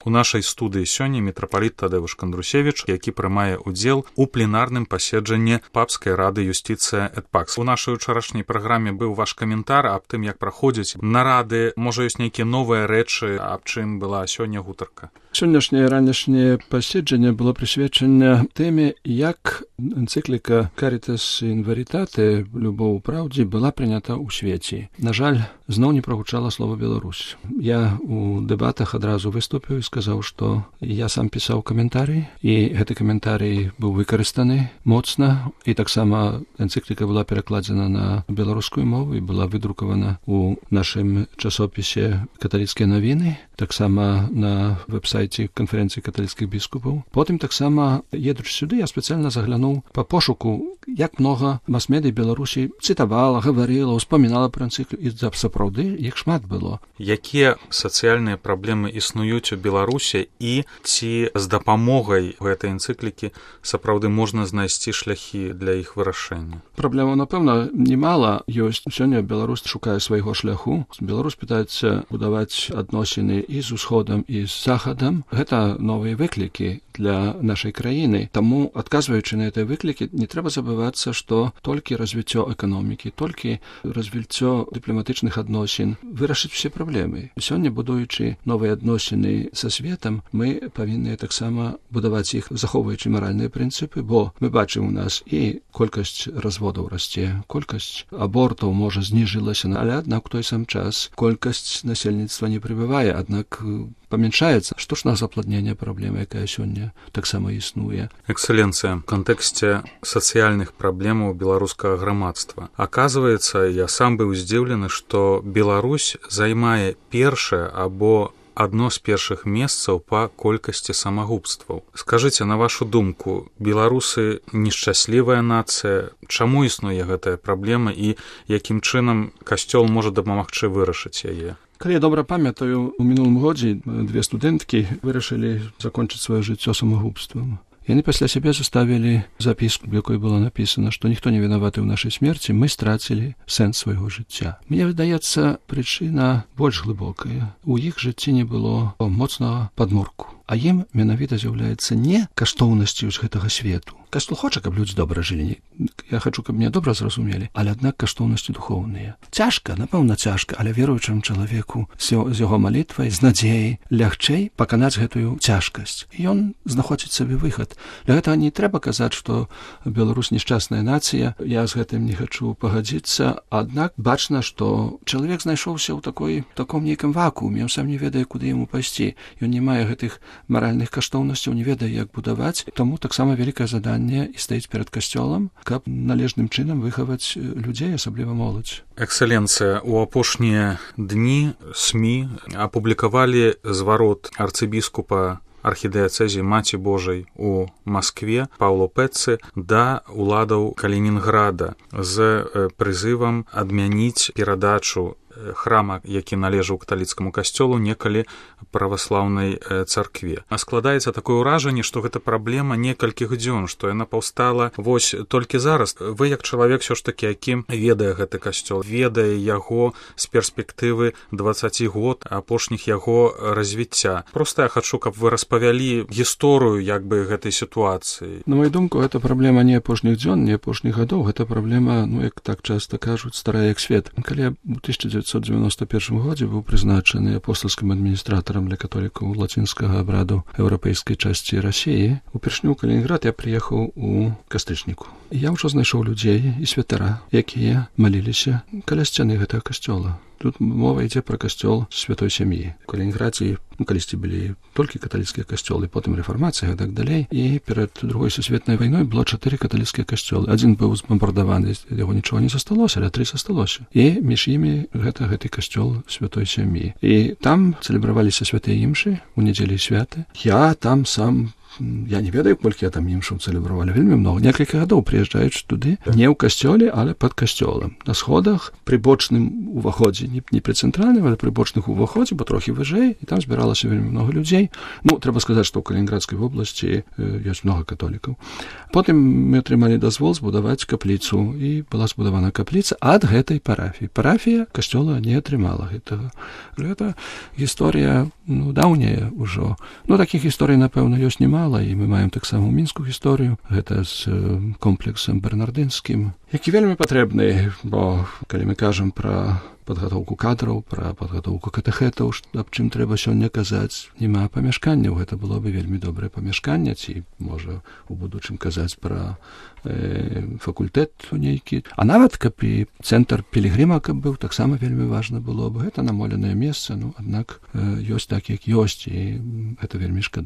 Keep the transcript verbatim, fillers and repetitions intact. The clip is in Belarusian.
У нашай студыі сёння мітрапаліт Тадэвуш Кандрусевіч, які прымае ўдзел у пленарным паседжанні Папскай рады юстыцыя эт пакс. У нашай учарашняй праграме быў ваш каментар аб тым, як праходзяць нарады, можа, ёсць нейкія новыя рэчы, аб чым была сёння гутарка. Сённяшняе ранішняе паседжанне было прысвечана тэме, як энцыкліка Caritas in Veritate, любоў у праўдзе, была прынята ў свеце. На жаль, зноў не прагучала слова Беларусь. Я у дэбатах адразу выступіў і сказаў, што я сам пісаў каментарый, і гэты каментарый быў выкарыстаны моцна, і таксама энцыкліка была перакладзена на беларускую мову і была выдрукавана у нашым часопісе «Каталіцкія навіны», таксама на веб-сайце канферэнцыі каталіцкіх біскупаў. Потым таксама, едучы сюды, я спецыяльна заглянуў па пошуку, як многа мас-медый Беларусі цытавала, гаварыла, успамінала пра энцыкліку, і сапраўды іх шмат было. Якія сацыяльныя праблемы існуюць у Беларусі і ці з дапамогай гэтай энцыклікі сапраўды можна знайсці шляхі для іх вырашэння? Праблемаў, напэўна, немала ёсць. Сёння Беларусь шукае свайго шляху. Беларусь пытаецца будаваць адносіны і з усходам, і з захадам. Гэта новыя выклікі для нашай краіны. Таму, адказваючы на гэтыя выклікі, не трэба забывацца, што толькі развіццё эканомікі, толькі развіццё дыпламатычных адносін вырашыць усе праблемы. Сёння, будуючы новыя адносіны са светам, мы павінны таксама будаваць іх, захоўваючы маральныя прынцыпы, бо мы бачым у нас і колькасць разводаў расце, колькасць абортаў, можа, зніжылася, але аднак у той сам час колькасць насельніцтва не прыбывае, аднак памяншаецца штучнага запладнення праблема, якая сёння таксама існуе. Эксцэленцыя, в кантэксце сацыяльных праблемаў беларускага грамадства. Аказваецца, я сам быў здзіўлены, што Беларусь займае першае або адно з першых месцаў па колькасці самагубстваў. Скажыце, на вашу думку, беларусы нешчаслівая нацыя, чаму існуе гэтая праблема і якім чынам касцёл можа дапамагчы вырашыць яе? Калі я добра памятаю, у мінулым годзе две студэнткі вырашылі закончыць сваё жыццё самагубствам. Яны пасля сябе заставілі запіску, в якой было напісана, што ніхто не вінаваты ў нашай смерці, мы страцілі сэнс свайго жыцця. Мне выдаецца, прычына больш глыбокая. У іх жыцці не было моцнага падмурку. А ім менавіта з'яўляецца не каштоўнасцю з гэтага свету. Касцёл хоча, каб людзі добра жылі. Я хачу, каб мне добра зразумелі, але аднак каштоўнасці духоўныя. Цяжка, напэўна, цяжка, але веруючаму чалавеку з яго малітвай, з надзеяй лягчэй паканаць гэтую цяжкасць. І ён знаходзіць сабе выхад. Для гэтага не трэба казаць, што Беларусь нешчасная нацыя. Я з гэтым не хачу пагадзіцца, аднак бачна, што чалавек знайшоўся ў такой таком нейкім вакууме, ён сам не ведае, куды яму пайсці. Ён не мае гэтых маральных каштоўнасцяў, не ведае, як будаваць. Таму таксама вялікае заданне і стаіць перад касцёлам, каб належным чынам выхаваць людзей, асабліва моладзь. Эксцэленцыя, у апошнія дні СМІ апублікавалі зварот арцыбіскупа архідыяцэзіі Маці Божай у Маскве Паўло Пэццы да уладаў Калінінграда з прызывам адмяніць перадачу храма, які належаў каталіцкаму касцёлу, некалі праваслаўнай царкве. А складаецца такое ўражанне, што гэта праблема некалькіх дзён, што яна паўстала вось толькі зараз. Вы, як чалавек, ўсё ж такі, які ведае гэты касцёл, ведае яго з перспектывы дваццаць год апошніх яго развіцця. Проста я хачу, каб вы распавялі гісторыю як бы гэтай сітуацыі. На мою думку, гэта праблема не апошніх дзён, не апошніх гадоў, гэта праблема, ну, як так часта кажуць, старая як свет. Калі у тысяча дзевяцьсот дзевяноста першым годзе быў прызначаны апостальскім адміністратарам для католікаў лацінскага абраду еўрапейскай часці Расіі, упершыню ў Калінінград я прыехаў у кастрычніку. Я ўжо знайшоў людзей і святара, якія маліліся каля сцяны гэтага касцёла. Тут мова ідзе пра касцёл святой сям'і. У Калінінградзе калісьці былі толькі каталіцкія касцёлы, потым рэфармацыя і так далей. І перад другой сусветнай вайной было чатыры каталіцкія касцёлы. Адзін быў збамбардаваны, яго нічого не засталося, але тры засталося. І між імі гэта гэты касцёл святой сям'і. І там цэлебраваліся святыя імшы у нядзелі святы. Я там сам я не ведаю, колькі там імшаў цэлебравалі, вельмі много. Некалькі гадоў прыязджаюць туды, не ў касцёле, але пад касцёлам. На сходах, пры бочным уваходзе, не, не пры цэнтральным, але пры бочных уваходзе, бо трохі выжэй, і там збіралася вельмі много людзей. Ну, трэба сказаць, што ў Калінінградскай вобласці ёсць много католікаў. Потым мы атрымалі дазвол збудаваць капліцу, і была збудавана капліца ад гэтай парафіі. Парафія касцёла не атрымала гэтага. Гэта гісторыя, ну, даўняя ўжо. Ну, такіх гісторый, напэўна, ёсць немала, і мы маем таксама ў мінскую гісторыю. Гэта з комплексам бернардынскім, які вельмі патрэбны, бо калі мы кажам пра падгатоўку кадраў, пра падгатоўку катэхэтаў, аб чым трэба сёння казаць, няма памяшканняў. Гэта было бы вельмі добрае памяшканне, ці, можа, у будучым казаць пра э, факультэт нейкі. А нават, каб і цэнтр пілігрыма, каб быў, таксама вельмі важна было бы. Гэта намоленае месца, ну, аднак э, ёсць так, як ёсць, і гэта вельмі шкада.